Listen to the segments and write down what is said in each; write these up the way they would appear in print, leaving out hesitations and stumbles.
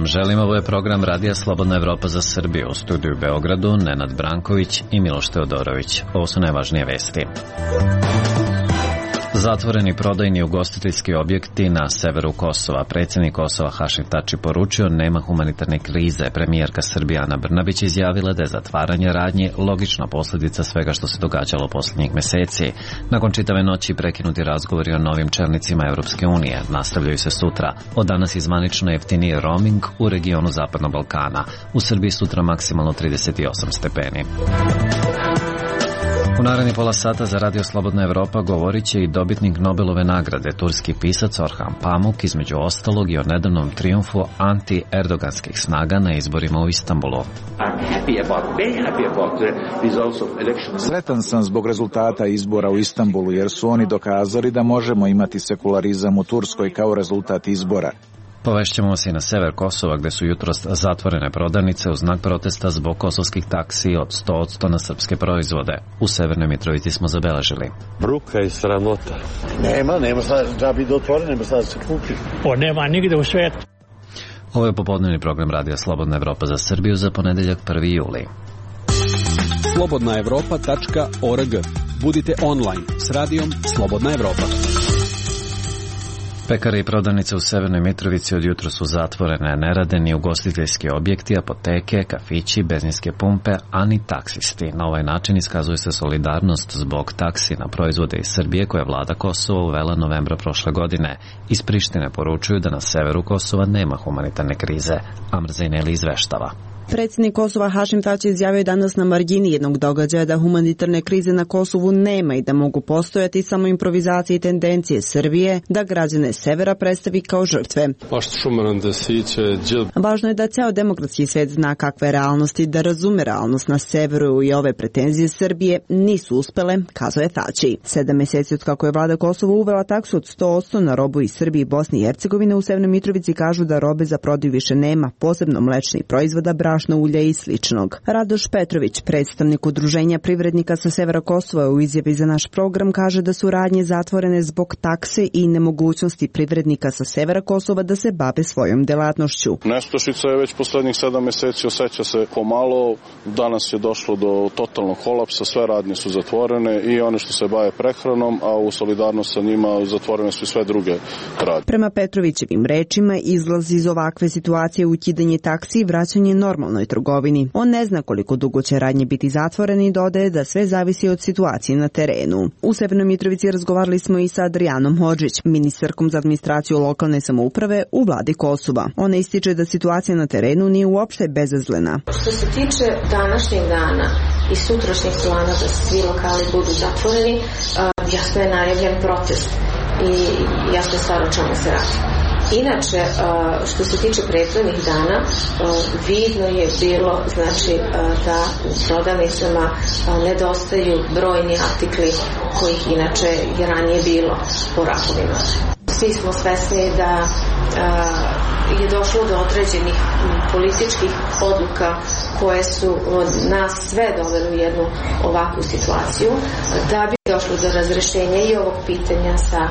vam želim. Ovo je program Radija Slobodna Evropa za Srbiju. U studiju u Beogradu Nenad Branković i Miloš Teodorović. Ovo su najvažnije vesti. Zatvoreni prodajni ugostiteljski objekti na severu Kosova. Predsjednik Kosova Hašim Tači poručio nema humanitarne krize. Premijerka Srbije Ana Brnabić izjavila da je zatvaranje radnji logična posljedica svega što se događalo posljednjih meseci. Nakon čitave noći prekinuti razgovori o novim čelnicima Europske unije nastavljaju se sutra. Od danas izvanično jeftiniji roaming u regionu Zapadnog Balkana. U Srbiji sutra maksimalno 38 stepeni. U narednih pola sata za Radio Slobodna Evropa govorit će i dobitnik Nobelove nagrade, turski pisac Orhan Pamuk, između ostalog i o nedavnom trijumfu anti-erdoganskih snaga na izborima u Istanbulu. Sretan sam zbog rezultata izbora u Istanbulu jer su oni dokazali da možemo imati sekularizam u Turskoj kao rezultat izbora. Povešćemo se i na sever Kosova gde su jutros zatvorene prodavnice u znak protesta zbog kosovskih taksi od 100% na srpske proizvode. U Severnoj Mitrovici smo zabeležili. Bruka i sramota. Nema sad da bi otvoreno, nema sad se kupi. Nema nigde u svijetu. Ovo je popodnevni program Radija Slobodna Evropa za Srbiju za ponedeljak 1. juli. slobodnaevropa.org. Budite online s radijom Slobodna Evropa. Pekare i prodavnice u Severnoj Mitrovici od jutra su zatvorene, ne rade ni ugostiteljski objekti, apoteke, kafići, benzinske pumpe, a ni taksisti. Na ovaj način iskazuje se solidarnost zbog taksi na proizvode iz Srbije koje je vlada Kosova uvela novembra prošle godine. Iz Prištine poručuju da na severu Kosova nema humanitarne krize. Amr Zejneli izveštava. Predsjednik Kosova Hašim Tači izjavio danas na margini jednog događaja da humanitarne krize na Kosovu nema i da mogu postojati samo improvizacije i tendencije Srbije da građane severa predstavi kao žrtve. Važno je da ceo demokratski svet zna kakve realnosti, da razume realnost na severu i ove pretenzije Srbije nisu uspele, kazao je Tači. 7 meseci od kako je vlada Kosova uvela taksu od 100% na robu iz Srbije i Bosne i Hercegovine, u Severnoj Mitrovici kažu da robe za prodaju više nema, posebno mlečnih proizvoda, brašno, ulje i sličnog. Radoš Petrović, predstavnik udruženja privrednika sa severa Kosova, u izjavi za naš program kaže da su radnje zatvorene zbog takse i nemogućnosti privrednika sa severa Kosova da se bave svojom delatnošću. Nestašica je već poslednjih 7 meseci, osjeća se pomalo. Danas je došlo do totalnog kolapsa, sve radnje su zatvorene i one što se bave prehranom, a u solidarnost sa njima zatvorene su i sve druge radnje. Prema Petrovićevim rečima, izlaz iz ovakve situacije ukidanje taksi i vraćanje normalnoj trgovini. On ne zna koliko dugo će radnje biti zatvorene i dodaje da sve zavisi od situacije na terenu. U Severnoj Mitrovici razgovarali smo i sa Adrijanom Hodžić, ministarkom za administraciju lokalne samouprave u vladi Kosova. Ona ističe da situacija na terenu nije uopšte bezazlena. Što se tiče današnjeg dana i sutrašnjeg plana da svi lokali budu zatvoreni, jasno je najavljen protest i jasno je stvar o čemu se radi. Inače, što se tiče prethodnih dana, vidno je bilo da u prodavnicama nedostaju brojni artikli kojih inače je ranije bilo po rafovima. Svi smo svesni da je došlo do određenih političkih odluka koje su od nas sve doveli u jednu ovakvu situaciju. Da bi došlo do razrešenja i ovog pitanja sa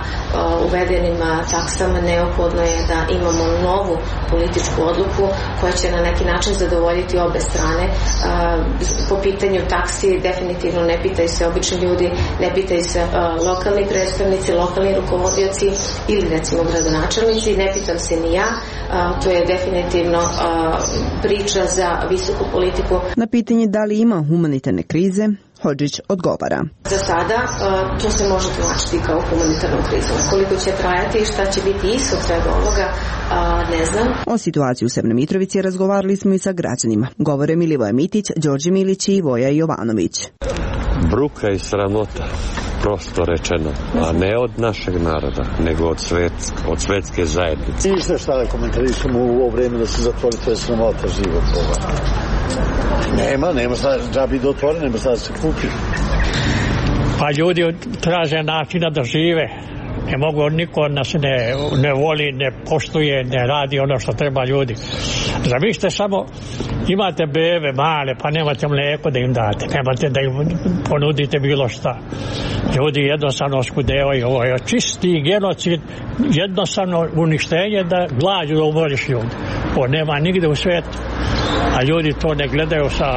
uvedenim taksama, neophodno je da imamo novu političku odluku koja će na neki način zadovoljiti obe strane. Po pitanju taksi definitivno ne pitaju se obični ljudi, ne pitaju se lokalni predstavnici, lokalni rukovodioci ili recimo gradonačelnici, ne pitam se ni ja. To je definitivno priča za visoku politiku. Na pitanje da li ima humanitarne krize, Hodžić odgovara. Za sada to se može tumačiti kao humanitarnu krizu. Koliko će trajati i šta će biti ishod svega ovoga, ne znam. O situaciji u Severnoj Mitrovici razgovarali smo i sa građanima. Govore Milivoje Mitić, Đorđe Milić i Voja Jovanović. Bruka i sramota, prosto rečeno, a ne od našeg naroda, nego od svetske zajednice. Ništa šta da komentarišemo u ovo vreme da se zatvori, to je sramota život. Nema sad da bi otvoreno, nema sad se kupi. Pa ljudi traže načina da žive. Ne mogu, niko od nas ne voli, ne poštuje, ne radi ono što treba ljudi. Zamislite samo, imate bebe male, pa nemate mlijeko da im date, nemate da im ponudite bilo šta. Ljudi jednostavno oskudevaju. Ovo je čisti genocid, jednostavno uništenje da glađu da umoriš ljudi. Ovo nema nigde u svijetu, a ljudi to ne gledaju sa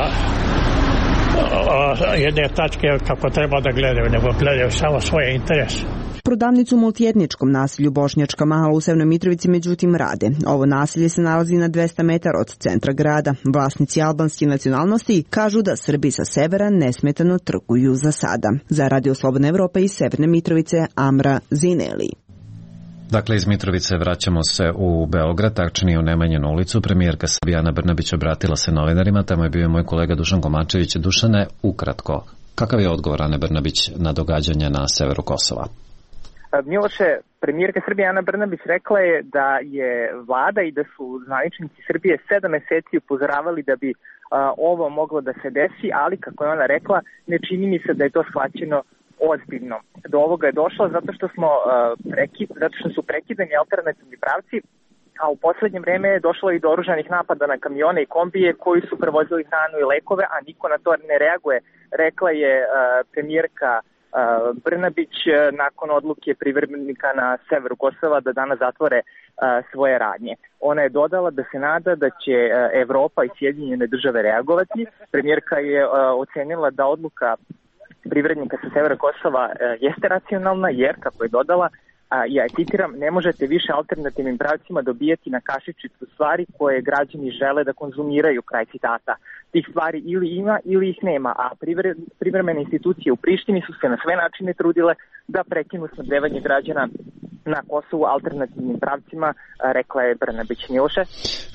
jedne tačke kako treba da gledaju, nego gledaju samo svoje interese. Prodavnicu u multietničkom naselju Bošnjačka Mahala u Severnoj Mitrovici međutim rade. Ovo naselje se nalazi na 200 metara od centra grada. Vlasnici albanske nacionalnosti kažu da Srbi sa severa nesmetano trguju za sada. Za Radio Slobodna Evropa iz Severne Mitrovice, Amra Zineli. Dakle, iz Mitrovice vraćamo se u Beograd, tačnije u Nemanjinu ulicu. Premijerka Srbije Ana Brnabić obratila se novinarima, tamo je bio moj kolega Dušan Komačević. Dušane, ukratko, kakav je odgovor Ane Brnabić na događanja na severu Kosova? Miloše, premijerka Srbije Ana Brnabić rekla je da je vlada i da su zvaničnici Srbije 7 meseci upozoravali da bi ovo moglo da se desi, ali kako je ona rekla, ne čini mi se da je to shvaćeno ozbiljno. Do ovoga je došlo zato što su prekidani alternativni pravci, a u poslednje vreme je došlo i do oružanih napada na kamione i kombije koji su prevozili hranu i lekove, a niko na to ne reaguje, rekla je premijerka Brnabić nakon odluke privremenika na severu Kosova da danas zatvore svoje radnje. Ona je dodala da se nada da će Evropa i Sjedinjene države reagovati. Premijerka je ocenila da odluka privrednika sa severa Kosova jeste racionalna jer, kako je dodala, ja citiram, ne možete više alternativnim pravcima dobijati na kašičicu stvari koje građani žele da konzumiraju, kraj citata. Tih stvari ili ima ili ih nema, a privremene institucije u Prištini su se na sve načine trudile da prekinu snabdevanje građana na Kosovu alternativnim pravcima, rekla je Brnabić. Miloše?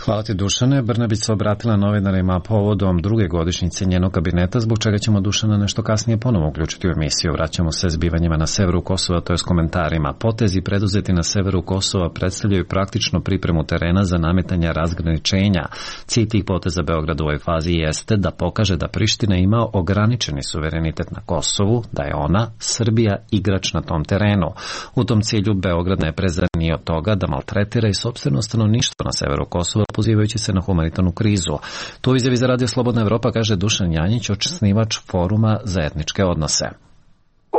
Hvala ti, Dušane. Brnabić se obratila novinarima povodom druge godišnjice njenog kabineta, zbog čega ćemo Dušana nešto kasnije ponovo uključiti u emisiju. Vraćamo se zbivanjima na severu Kosova, to je s komentarima. Potezi preduzeti na severu Kosova predstavljaju praktično pripremu terena za nametanje razgraničenja. Cilj tih poteza Beograda u ovoj fazi jeste da pokaže da Priština ima ograničeni suverenitet na Kosovu, da je ona, Srbija, igrač na tom terenu. U tom cilju Beograd ne prezire ni od toga da maltretira i sopstveno stanovništvo na severu Kosova, pozivajući se na humanitarnu krizu. To u izjavi za Radio Slobodna Evropa kaže Dušan Janjić, osnivač Foruma za etničke odnose.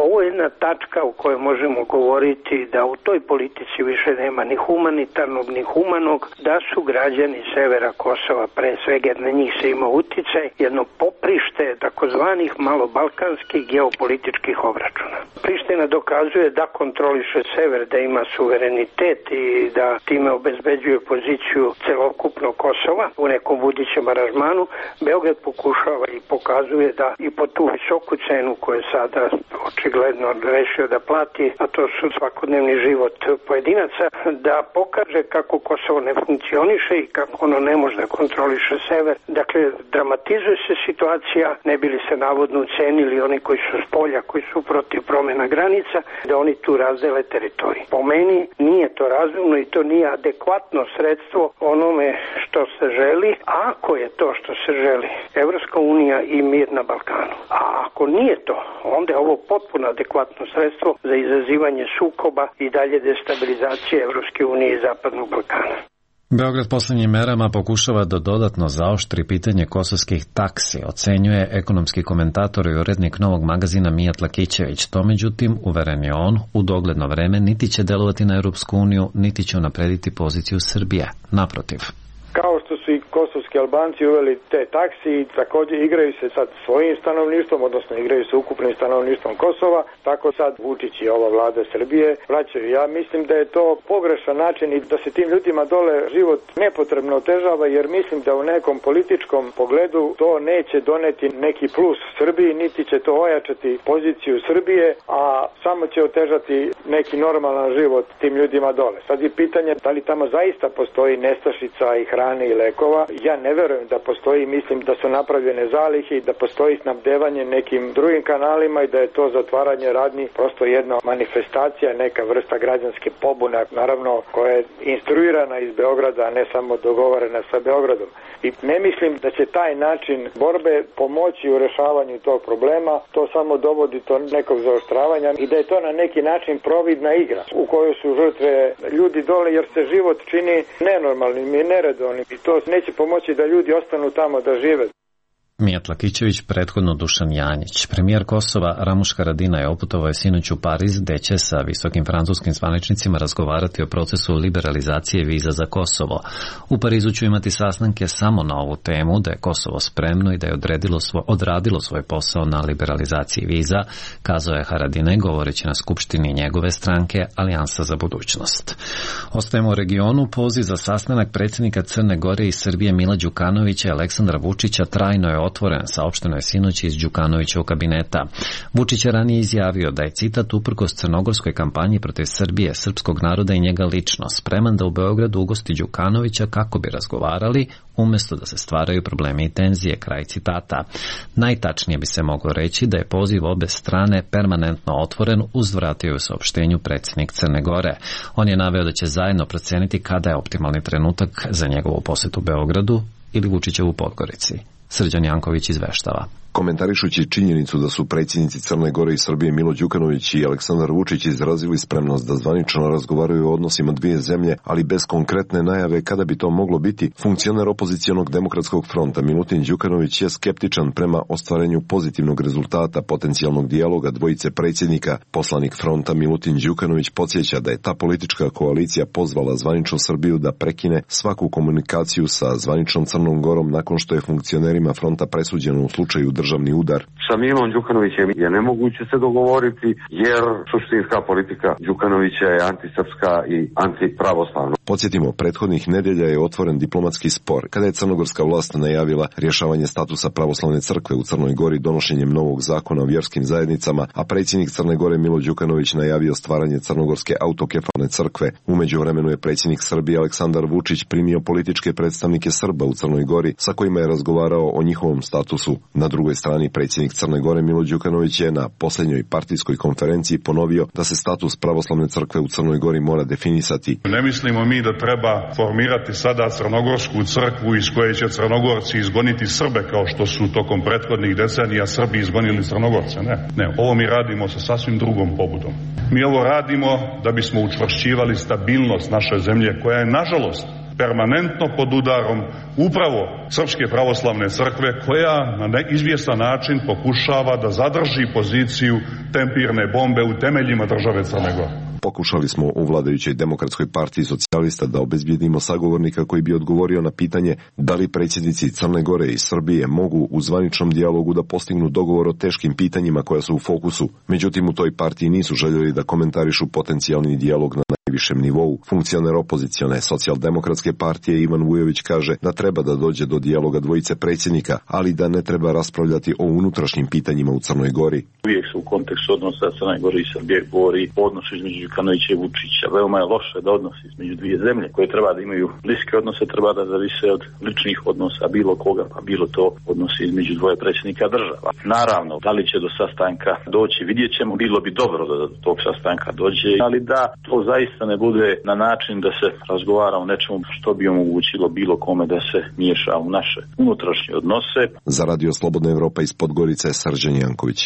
Ovo je jedna tačka u kojoj možemo govoriti da u toj politici više nema ni humanitarnog ni humanog, da su građani severa Kosova pre svega jer na njih se ima uticaj, jedno poprište takozvanih malobalkanskih geopolitičkih obračuna. Priština dokazuje da kontroliše sever, da ima suverenitet i da time obezbeđuje poziciju celokupnog Kosova u nekom budućem aranžmanu. Beograd pokušava i pokazuje da i po tu visoku cenu koju je sada očigledno rešio da plati, a to su svakodnevni život pojedinaca, da pokaže kako Kosovo ne funkcioniše i kako ono ne može da kontroliše sever. Dakle, dramatizuje se situacija, ne bi li se navodno ucenili oni koji su s polja, koji su protiv promjena granica, da oni tu razdele teritoriju. Po meni nije to razumno i to nije adekvatno sredstvo onome što se želi, a ako je to što se želi, Evropska unija i mir na Balkanu. A ako nije to, onda je ovo potpuno adekvatno sredstvo za izazivanje sukoba i dalje destabilizacije Evropske unije i Zapadnog Balkana. Beograd posljednjim merama pokušava da dodatno zaoštri pitanje kosovskih taksi, ocenjuje ekonomski komentator i urednik Novog magazina Mijat Lakićević. To, međutim, uveren je on, u dogledno vreme niti će delovati na Europsku uniju, niti će unaprediti poziciju Srbije. Naprotiv. Kao što su i kosovski Albanci uveli te taksi i također igraju se sad svojim stanovništvom, odnosno igraju se ukupnim stanovništvom Kosova, tako sad Vučić i ova vlada Srbije vraćaju. Ja mislim da je to pogrešan način i da se tim ljudima dole život nepotrebno otežava, jer mislim da u nekom političkom pogledu to neće doneti neki plus Srbiji, niti će to ojačati poziciju Srbije, a samo će otežati neki normalan život tim ljudima dole. Sad je pitanje da li tamo zaista postoji nestašica i hrane i lekova. Ja ne verujem da postoji, mislim da su napravljene zalihe i da postoji snabdevanje nekim drugim kanalima i da je to zatvaranje radnji prosto jedna manifestacija, neka vrsta građanske pobune, naravno koja je instruirana iz Beograda, a ne samo dogovorena sa Beogradom. I ne mislim da će taj način borbe pomoći u rešavanju tog problema, to samo dovodi do nekog zaoštravanja i da je to na neki način providna igra u kojoj su žrtve ljudi dole jer se život čini nenormalnim i neredovnim i to neće pomoći da ljudi ostanu tamo da žive. Mijat Lakićević, prethodno Dušan Janjić. Premijer Kosova Ramuš Haradinaj oputovao je sinoć u Pariz, gde će sa visokim francuskim zvaničnicima razgovarati o procesu liberalizacije viza za Kosovo. U Parizu će imati sastanke samo na ovu temu, da je Kosovo spremno i da je odradilo svoj posao na liberalizaciji viza, kazao je Haradinaj govoreći na skupštini njegove stranke Alijansa za budućnost. Ostajemo u regionu. Poziv za sastanak predsjednika Crne Gore i Srbije Mila Đukanovića i Aleksandra Vučića trajno je otvoren, saopšteno je sinoć iz Đukanovićevog kabineta. Vučić je ranije izjavio da je, citat, uprkos crnogorskoj kampanji protiv Srbije, srpskog naroda i njega lično, spreman da u Beogradu ugosti Đukanovića kako bi razgovarali, umjesto da se stvaraju problemi i tenzije, kraj citata. Najtačnije bi se moglo reći da je poziv obe strane permanentno otvoren, uzvratio u saopštenju predsjednik Crne Gore. On je naveo da će zajedno proceniti kada je optimalni trenutak za njegovu posjetu Beogradu ili Vučićevu Podgorici. Srđan Janković izveštava. Komentarišući činjenicu da su predsjednici Crne Gore i Srbije Milo Đukanović i Aleksandar Vučić izrazili spremnost da zvanično razgovaraju o odnosima dvije zemlje, ali bez konkretne najave kada bi to moglo biti, funkcioner opozicionog demokratskog fronta Milutin Đukanović je skeptičan prema ostvarenju pozitivnog rezultata potencijalnog dijaloga dvojice predsjednika. Poslanik fronta Milutin Đukanović podsjeća da je ta politička koalicija pozvala zvaničnu Srbiju da prekine svaku komunikaciju sa zvaničnom Crnom Gorom nakon što je funkcionerima fronta presuđeno u slučaju državni udar. Sa Milom Đukanovićem je nemoguće se dogovoriti, jer suštinska politika Đukanovića je antisrpska i antipravoslavna. Podsjetimo, prethodnih nedelja je otvoren diplomatski spor kada je crnogorska vlast najavila rješavanje statusa pravoslavne crkve u Crnoj Gori donošenjem novog zakona o vjerskim zajednicama, a predsjednik Crne Gore Milo Đukanović najavio stvaranje crnogorske autokefalne crkve. U međuvremenu je predsjednik Srbije Aleksandar Vučić primio političke predstavnike Srba u Crnoj Gori sa kojima je razgovarao o njihovom statusu. Na drugoj strani predsjednik Crne Gore Milo Đukanović je na posljednjoj partijskoj konferenciji ponovio da se status pravoslavne crkve u Crnoj Gori mora definisati. Ne mislimo mi da treba formirati sada crnogorsku crkvu iz koje će Crnogorci izgoniti Srbe kao što su tokom prethodnih decenija Srbi izgonili Crnogorce. Ne, ovo mi radimo sa sasvim drugom pobudom. Mi ovo radimo da bismo učvršćivali stabilnost naše zemlje koja je nažalost permanentno pod udarom upravo Srpske pravoslavne crkve, koja na izvjestan način pokušava da zadrži poziciju tempirne bombe u temeljima države Crne Gore. Pokušali smo u vladajućoj Demokratskoj partiji socijalista da obezbijedimo sagovornika koji bi odgovorio na pitanje da li predsjednici Crne Gore i Srbije mogu u zvaničnom dijalogu da postignu dogovor o teškim pitanjima koja su u fokusu. Međutim, u toj partiji nisu željeli da komentarišu potencijalni dijalog na najvišem nivou. Funkcioner opozicione socijaldemokratske partije Ivan Vujović kaže da treba da dođe do dijaloga dvojice predsjednika, ali da ne treba raspravljati o unutrašnjim pitanjima u Crnoj Gori. Uvijek se u kontekstu odnosa Crne Gore i Srbije govori o odnosu između Đukanovića i Vučića. Veoma je loše da odnosi između dvije zemlje koje treba da imaju bliske odnose, treba da zavise od ličnih odnosa bilo koga, pa bilo to odnosi između dvoje predsjednika država. Naravno, da li će do sastanka doći, vidjet ćemo, bilo bi dobro da do tog sastanka dođe, ali da to zaista ne bude na način da se razgovara o nečemu što bi omogućilo bilo kome da se miješa u naše unutrašnje odnose. Za Radio Slobodna Evropa iz Podgorice, Srđan Janković.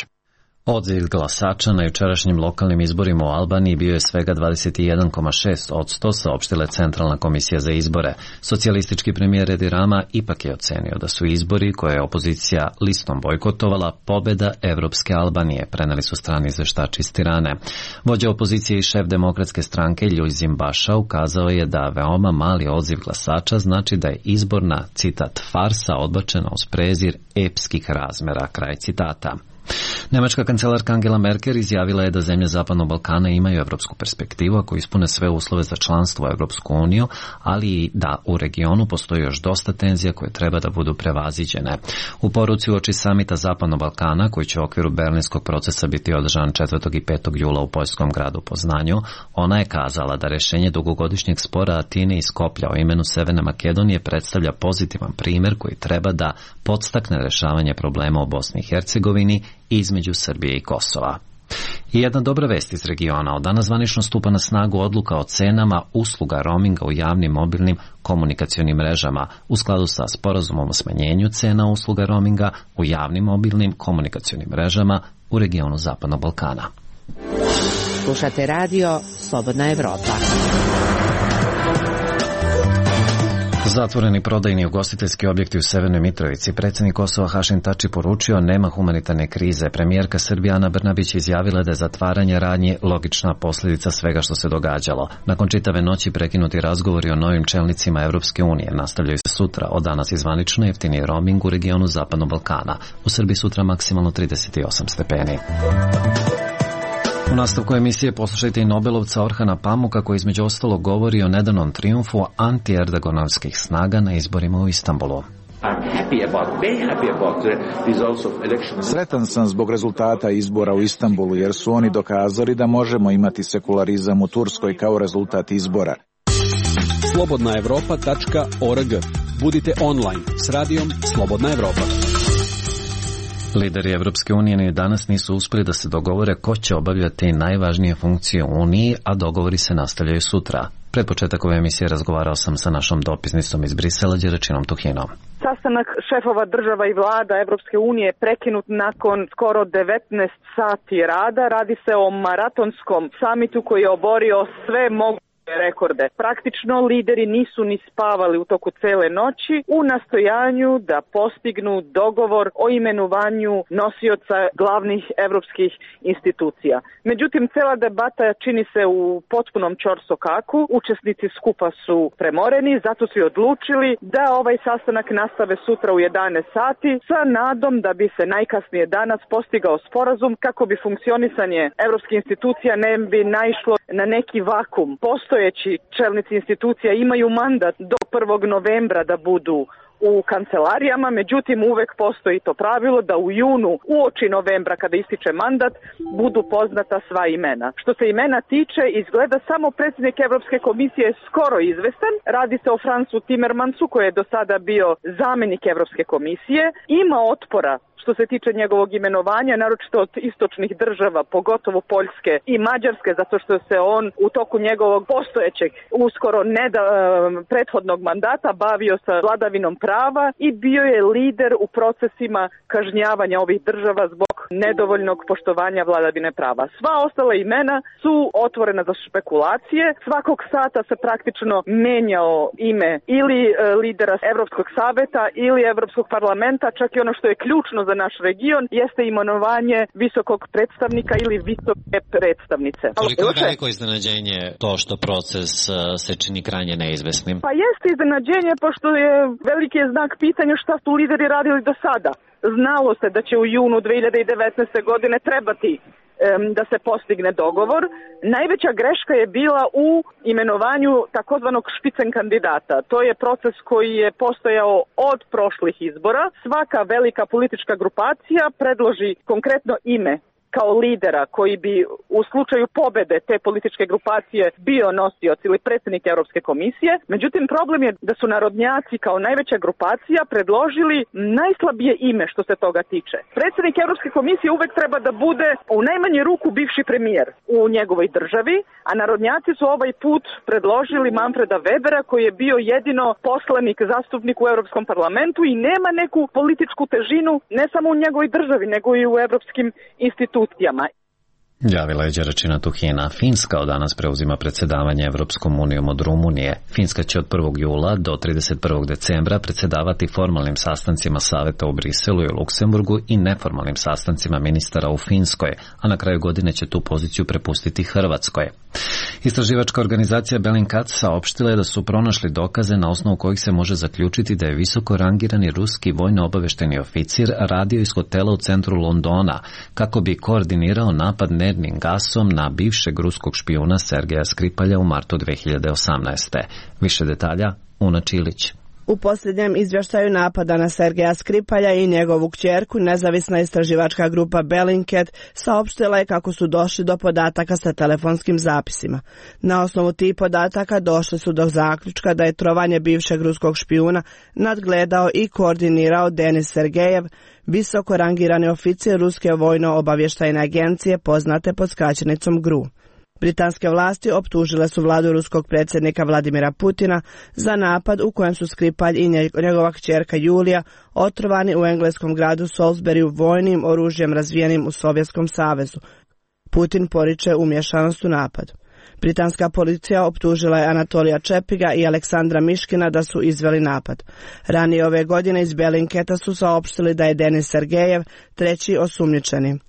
Odziv glasača na jučerašnjim lokalnim izborima u Albaniji bio je svega 21,6%, saopštila Centralna komisija za izbore. Socijalistički premijer Edi Rama ipak je ocenio da su izbori koje je opozicija listom bojkotovala pobjeda Evropske Albanije, preneli su strani izveštači iz Tirane. Vođa opozicije i šef demokratske stranke Ljuzim Baša ukazao je da veoma mali odziv glasača znači da je izborna, citat, farsa odbačena uz prezir epskih razmera, kraj citata. Nemačka kancelarka Angela Merkel izjavila je da zemlje Zapadnog Balkana imaju evropsku perspektivu ako ispune sve uslove za članstvo u Evropsku uniju, ali i da u regionu postoji još dosta tenzija koje treba da budu prevaziđene. U poruci uoči samita Zapadnog Balkana, koji će u okviru berlinskog procesa biti održan 4. i 5. jula u poljskom gradu Poznanju, ona je kazala da rješenje dugogodišnjeg spora Atine i Skoplja o imenu Severne Makedonije predstavlja pozitivan primjer koji treba da podstakne rješavanje problema u Bosni i Hercegovini između Srbije i Kosova. I jedna dobra vest iz regiona. Od danas zvanično stupa na snagu odluka o cenama usluga roaminga u javnim mobilnim komunikacionim mrežama u skladu sa sporazumom o smanjenju cena usluga roaminga u javnim mobilnim komunikacionim mrežama u regionu Zapadnog Balkana. Slušate radio Slobodna Evropa. Zatvoreni prodajni ugostiteljski objekti u Severnoj Mitrovici. Predsjednik Kosova Hašim Tači poručio nema humanitarne krize. Premijerka Srbije Ana Brnabić izjavila da je zatvaranje radnji logična posljedica svega što se događalo. Nakon čitave noći prekinuti razgovori o novim čelnicima Evropske unije nastavljaju se sutra. Od danas je zvanično jeftiniji roaming u regionu Zapadnog Balkana. U Srbiji sutra maksimalno 38 stepeni. U nastavku emisije poslušajte i Nobelovca Orhana Pamuka koji između ostalog govori o nedavnom trijumfu anti-erdoganovskih snaga na izborima u Istanbulu. Sretan sam zbog rezultata izbora u Istanbulu jer su oni dokazali da možemo imati sekularizam u Turskoj kao rezultat izbora. Slobodnaevropa.org. Budite online s radijom Slobodna Evropa. Lideri Evropske unije ni danas nisu uspjeli da se dogovore ko će obavljati najvažnije funkcije u Uniji, a dogovori se nastavljaju sutra. Pred početak ove emisije razgovarao sam sa našom dopisnicom iz Brisela, Đeračinom Tuhinom. Sastanak šefova država i vlada Evropske unije je prekinut nakon skoro 19 sati rada. Radi se o maratonskom samitu koji je oborio sve moguće rekorde. Praktično lideri nisu ni spavali u toku cele noći u nastojanju da postignu dogovor o imenovanju nosioca glavnih evropskih institucija. Međutim, cela debata čini se u potpunom ćorsokaku. Učesnici skupa su premoreni, zato su i odlučili da ovaj sastanak nastave sutra u 11 sati sa nadom da bi se najkasnije danas postigao sporazum kako bi funkcionisanje evropskih institucija ne bi naišlo na neki vakum. Postojeći čelnici institucija imaju mandat do 1. novembra da budu u kancelarijama, međutim uvek postoji to pravilo da u junu, uoči novembra kada ističe mandat, budu poznata sva imena. Što se imena tiče, izgleda samo predsjednik Evropske komisije je skoro izvestan. Radi se o Fransu Timmermansu koji je do sada bio zamjenik Evropske komisije. Ima otpora što se tiče njegovog imenovanja, naročito od istočnih država, pogotovo Poljske i Mađarske, zato što se on u toku njegovog postojećeg, uskoro prethodnog mandata bavio sa vladavinom prava i bio je lider u procesima kažnjavanja ovih država zbog nedovoljnog poštovanja vladavine prava. Sva ostala imena su otvorena za špekulacije. Svakog sata se praktično menjao ime ili lidera Evropskog saveta ili Evropskog parlamenta, čak i ono što je ključno za naš region jeste imenovanje visokog predstavnika ili visoke predstavnice. Koliko je veliko iznenađenje to što proces se čini krajnje neizvesnim? Pa jeste iznenađenje, pošto je veliki znak pitanja šta su lideri radili do sada. Znalo se da će u junu 2019. godine trebati da se postigne dogovor. Najveća greška je bila u imenovanju takozvanog špicen kandidata. To je proces koji je postojao od prošlih izbora. Svaka velika politička grupacija predloži konkretno ime kao lidera koji bi u slučaju pobede te političke grupacije bio nosioc ili predsjednik Europske komisije. Međutim, problem je da su narodnjaci kao najveća grupacija predložili najslabije ime što se toga tiče. Predsjednik Europske komisije uvek treba da bude u najmanju ruku bivši premijer u njegovoj državi, a narodnjaci su ovaj put predložili Manfreda Webera koji je bio jedino poslanik, zastupnik u Europskom parlamentu i nema neku političku težinu ne samo u njegovoj državi nego i u europskim institucijama. Javila je Đeračina Tuhina. Finska od danas preuzima predsjedavanje Evropskom unijom od Rumunije. Finska će od 1. jula do 31. decembra predsjedavati formalnim sastancima saveta u Briselu i u Luksemburgu i neformalnim sastancima ministara u Finskoj, a na kraju godine će tu poziciju prepustiti Hrvatskoj. Istraživačka organizacija Bellingcat saopštila je da su pronašli dokaze na osnovu kojih se može zaključiti da je visoko rangirani ruski vojno-obavešteni oficir radio iz hotela u centru Londona kako bi koordinirao napad nervnim gasom na bivšeg ruskog špijuna Sergeja Skripalja u martu 2018. Više detalja, Una Čilić. U posljednjem izvještaju napada na Sergeja Skripalja i njegovu kćerku, nezavisna istraživačka grupa Bellingcat saopštila je kako su došli do podataka sa telefonskim zapisima. Na osnovu tih podataka došli su do zaključka da je trovanje bivšeg ruskog špijuna nadgledao i koordinirao Denis Sergejev, visoko rangirani oficir ruske vojno-obavještajne agencije poznate pod skraćenicom GRU. Britanske vlasti optužile su vladu ruskog predsjednika Vladimira Putina za napad u kojem su Skripalj i njegova kćerka Julija otrovani u engleskom gradu Salisburyu vojnim oružjem razvijenim u Sovjetskom savezu. Putin poriče umješanost u napad. Britanska policija optužila je Anatolija Čepiga i Aleksandra Miškina da su izveli napad. Ranije ove godine iz Belinketa su saopštili da je Denis Sergejev treći osumnjičeni.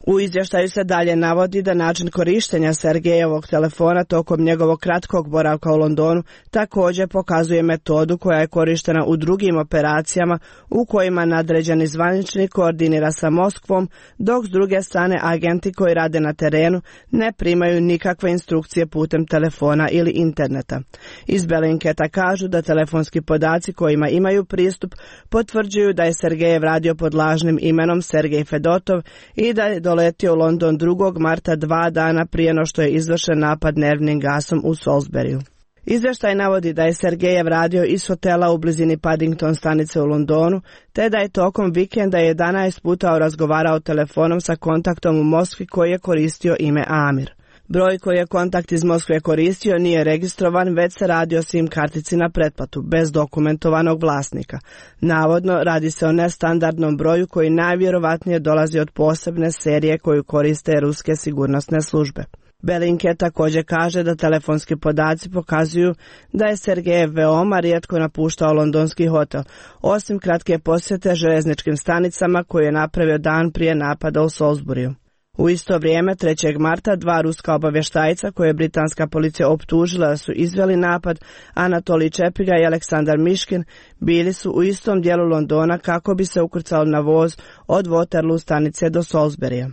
U izvještaju se dalje navodi da način korištenja Sergejevog telefona tokom njegovog kratkog boravka u Londonu također pokazuje metodu koja je korištena u drugim operacijama u kojima nadređeni zvaničnik koordinira sa Moskvom, dok s druge strane agenti koji rade na terenu ne primaju nikakve instrukcije putem telefona ili interneta. Iz Belinketa kažu da telefonski podaci kojima imaju pristup potvrđuju da je Sergejev radio pod lažnim imenom Sergej Fedotov i da je doletio u London 2. marta 2 dana prije no što je izvršen napad nervnim gasom u Salisburyu. Izvještaj navodi da je Sergejev radio iz hotela u blizini Paddington stanice u Londonu, te da je tokom vikenda 11 puta razgovarao telefonom sa kontaktom u Moskvi koji je koristio ime Amir. Broj koji je kontakt iz Moskve koristio nije registrovan, već se radi o SIM kartici na pretplatu, bez dokumentovanog vlasnika. Navodno, radi se o nestandardnom broju koji najvjerovatnije dolazi od posebne serije koju koriste ruske sigurnosne službe. Bellingcat također kaže da telefonski podaci pokazuju da je Sergejev veoma rijetko napuštao londonski hotel, osim kratke posjete željezničkim stanicama koje je napravio dan prije napada u Salisburyu. U isto vrijeme, 3. marta, 2 ruska obavještajca koje je britanska policija optužila da su izveli napad, Anatolij Čepiga i Aleksandar Miškin, bili su u istom dijelu Londona kako bi se ukrcali na voz od Waterloo stanice do Salisburya.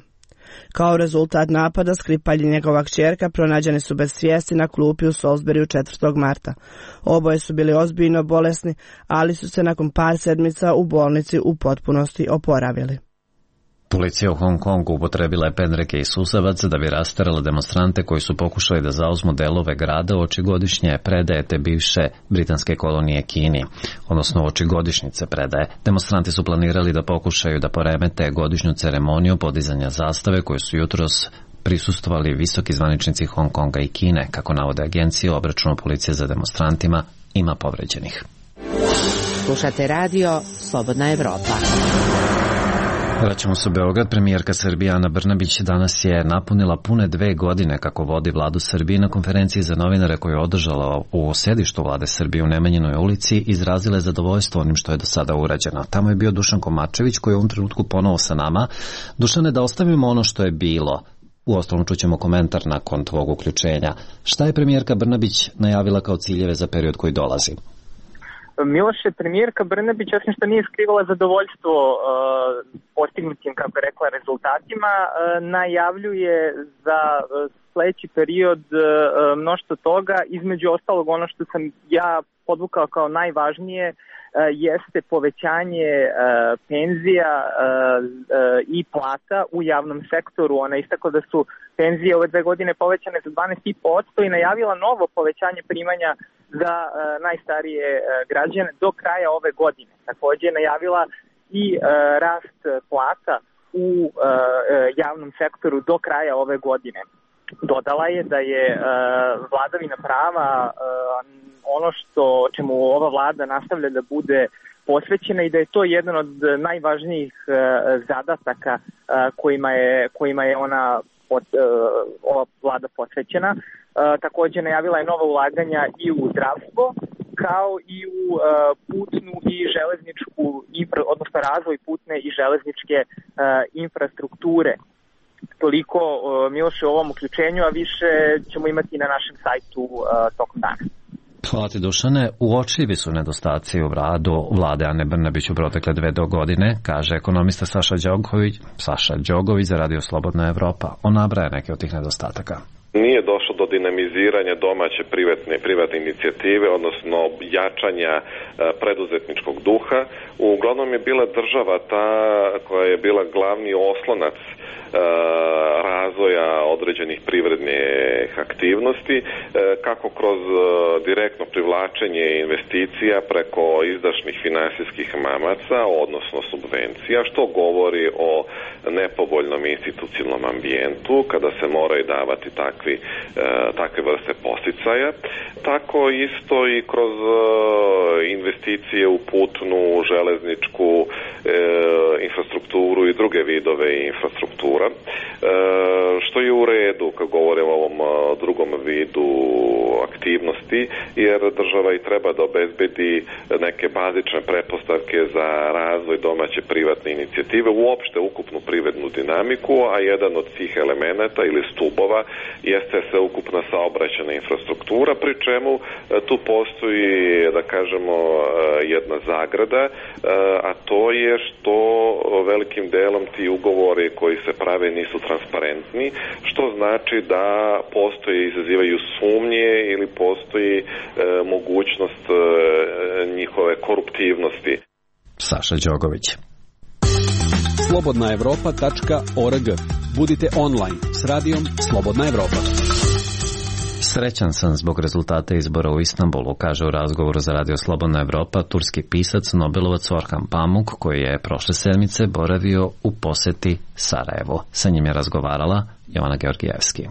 Kao rezultat napada, Skripalj i njegova kćerka pronađeni su bez svijesti na klupi u Salisburyu 4. marta. Oboje su bili ozbiljno bolesni, ali su se nakon par sedmica u bolnici u potpunosti oporavili. Policija u Hong Kongu upotrebila je pendreke i susavac da bi rasterala demonstrante koji su pokušali da zauzmu delove grada uoči godišnje predaje te bivše britanske kolonije Kini, odnosno uoči godišnjice predaje. Demonstranti su planirali da pokušaju da poremete godišnju ceremoniju podizanja zastave koju su jutros prisustvovali visoki zvaničnici Hong Konga i Kine. Kako navode agencije, u obračunu policije za demonstrantima ima povređenih. Slušate radio Slobodna Evropa. Vraćamo se u Beograd. Premijerka Srbije Ana Brnabić danas je napunila pune 2 godine kako vodi vladu Srbije. Na konferenciji za novinare koju je održala u sedištu vlade Srbije u Nemanjinoj ulici izrazila je zadovoljstvo onim što je do sada urađeno. Tamo je bio Dušan Komačević koji je u ovom trenutku ponovo sa nama. Dušane, da ostavimo ono što je bilo. Uostalom čućemo komentar nakon tvog uključenja. Šta je premijerka Brnabić najavila kao ciljeve za period koji dolazi? Miloše, premijerka Brnabić, osim što nije skrivala zadovoljstvo postignutim, kako je rekla, rezultatima, najavljuje za sledeći period mnoštvo toga. Između ostalog, ono što sam ja podvukao kao najvažnije jeste povećanje penzija i plata u javnom sektoru. Ona istakla da su penzije ove 2 godine povećane za 12,5% i najavila novo povećanje primanja za najstarije građane do kraja ove godine. Također je najavila i rast plata u javnom sektoru do kraja ove godine. Dodala je da je vladavina prava ono čemu ova vlada nastavlja da bude posvećena i da je to jedan od najvažnijih zadataka kojima je ova vlada posvećena. Također najavila je nova ulaganja i u zdravstvo, kao i u putnu i železničku, odnosno razvoj putne i železničke infrastrukture. Toliko, Miloše, u ovom uključenju, a više ćemo imati na našem sajtu tokom dana. Hvala ti, Dušane. Uočljivi su nedostaci u radu vlade Ane Brnabić u protekle 2 godine, kaže ekonomista Saša Đogović za Radio Slobodna Evropa. On nabraja neke od tih nedostataka. Nije došlo do dinamiziranja domaće privatne inicijative, odnosno jačanja preduzetničkog duha. Uglavnom je bila država ta koja je bila glavni oslonac razvoja određenih privrednih aktivnosti, kako kroz direktno privlačenje investicija preko izdašnih finansijskih mamaca, odnosno subvencija, što govori o nepovoljnom institucionalnom ambijentu kada se moraju davati takve vrste podsticaja. Tako isto i kroz investicije u putnu, železničku infrastrukturu i druge vidove infrastruktura, što je u redu kad govorimo o ovom o drugom vidu aktivnosti, jer država i treba da obezbedi neke bazične pretpostavke za razvoj domaće privatne inicijative, uopšte ukupnu privrednu dinamiku, a jedan od tih elemenata ili stubova jeste sveukupna saobraćajna infrastruktura, pri čemu tu postoji, da kažemo, jedna zagrada, a to je što velikim delom ti ugovori koji se prave nisu transparentni, što znači da postoje, izazivaju sumnje ili postoji mogućnost njihove koruptivnosti. Saša Đogović. Slobodnaevropa.org. Budite online s radijom Slobodna Evropa. Srećan sam zbog rezultata izbora u Istanbulu, kaže u razgovoru za Radio Slobodna Evropa turski pisac, Nobelovac Orhan Pamuk, koji je prošle sedmice boravio u poseti Sarajevu. Sa njim je razgovarala Jovana Georgijevski.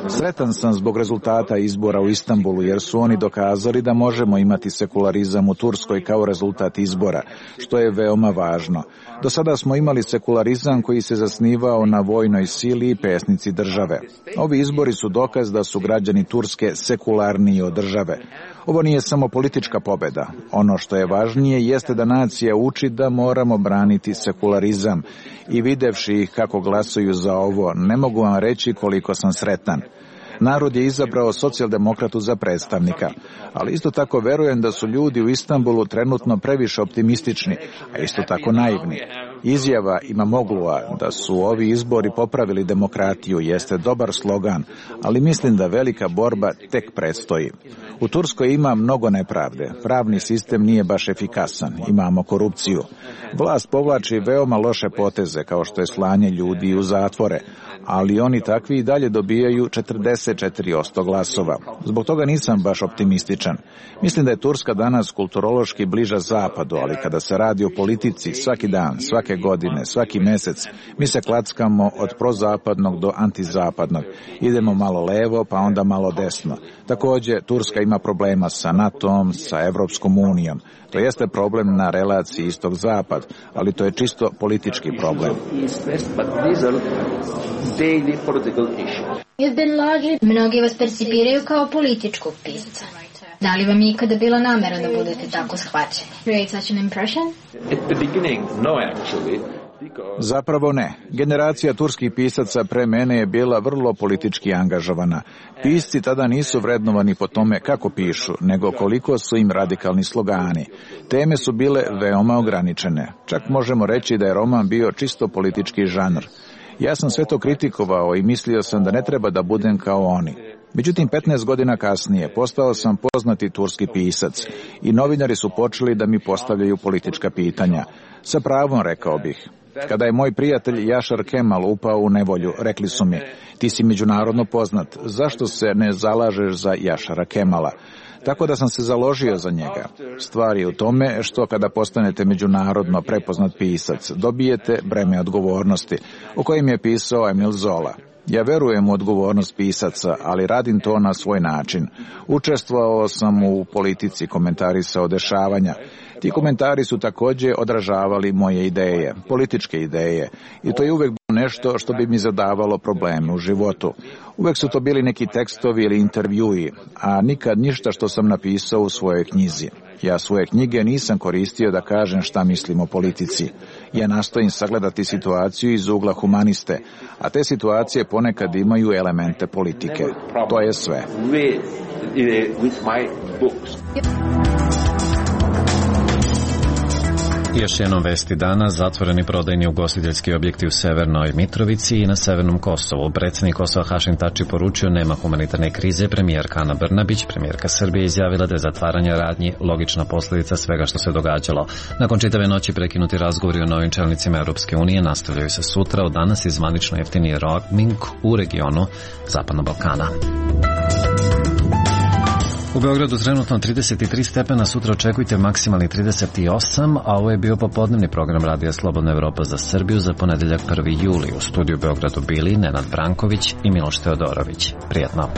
Sretan sam zbog rezultata izbora u Istanbulu, jer su oni dokazali da možemo imati sekularizam u Turskoj kao rezultat izbora, što je veoma važno. Do sada smo imali sekularizam koji se zasnivao na vojnoj sili i pesnici države. Ovi izbori su dokaz da su građani Turske sekularniji od države. Ovo nije samo politička pobeda. Ono što je važnije jeste da nacija uči da moramo braniti sekularizam. I videvši ih kako glasuju za ovo, ne mogu vam reći koliko sam sretan. Narod je izabrao socijaldemokratu za predstavnika, ali isto tako verujem da su ljudi u Istanbulu trenutno previše optimistični, a isto tako naivni. Izjava Imamoglu'a da su ovi izbori popravili demokratiju jeste dobar slogan, ali mislim da velika borba tek predstoji. U Turskoj ima mnogo nepravde, pravni sistem nije baš efikasan, imamo korupciju. Vlast povlači veoma loše poteze, kao što je slanje ljudi u zatvore, ali oni takvi i dalje dobijaju 44% glasova. Zbog toga nisam baš optimističan. Mislim da je Turska danas kulturološki bliža zapadu, ali kada se radi o politici, svaki dan, svake godine, svaki mesec, mi se klackamo od prozapadnog do antizapadnog. Idemo malo levo, pa onda malo desno. Također, Turska ima problema sa NATO-om, sa Evropskom unijom. To jeste problem na relaciji istok-zapad, ali to je čisto politički problem. Mnogi vas percipiraju kao političkog pisca. Da li vam je ikada bila namera da budete tako shvaćeni? Zapravo ne. Generacija turskih pisaca pre mene je bila vrlo politički angažovana. Pisci tada nisu vrednovani po tome kako pišu, nego koliko su im radikalni slogani. Teme su bile veoma ograničene. Čak možemo reći da je roman bio čisto politički žanr. Ja sam sve to kritikovao i mislio sam da ne treba da budem kao oni. Međutim, 15 godina kasnije postao sam poznati turski pisac i novinari su počeli da mi postavljaju politička pitanja. Sa pravom, rekao bih. Kada je moj prijatelj Jašar Kemal upao u nevolju, rekli su mi, ti si međunarodno poznat, zašto se ne zalažeš za Jašara Kemala? Tako da sam se založio za njega. Stvar je u tome što kada postanete međunarodno prepoznat pisac, dobijete breme odgovornosti, o kojim je pisao Emil Zola. Ja verujem u odgovornost pisaca, ali radim to na svoj način. Učestvovao sam u politici, komentarisao dešavanja. Ti komentari su također odražavali moje ideje, političke ideje, i to je uvek bilo nešto što bi mi zadavalo probleme u životu. Uvek su to bili neki tekstovi ili intervjui, a nikad ništa što sam napisao u svojoj knjizi. Ja svoje knjige nisam koristio da kažem šta mislim o politici. Ja nastojim sagledati situaciju iz ugla humaniste, a te situacije ponekad imaju elemente politike. To je sve. Još jednom vesti dana, zatvoreni prodajni ugostiteljski objekti u Severnoj Mitrovici i na Severnom Kosovu. Predsjednik Kosova Hašim Tači poručio nema humanitarne krize, premijerka Ana Brnabić, premijerka Srbije, izjavila da je zatvaranje radnji logična posljedica svega što se događalo. Nakon čitave noći prekinuti razgovori o novim čelnicima Europske unije nastavljaju se sutra, od danas i zvanično jeftiniji roaming u regionu Zapadnog Balkana. U Beogradu trenutno 33 stepena, sutra očekujte maksimalni 38, a ovo je bio popodnevni program Radija Slobodna Evropa za Srbiju za ponedeljak 1. juli. U studiju Beogradu bili Nenad Branković i Miloš Teodorović. Prijetno.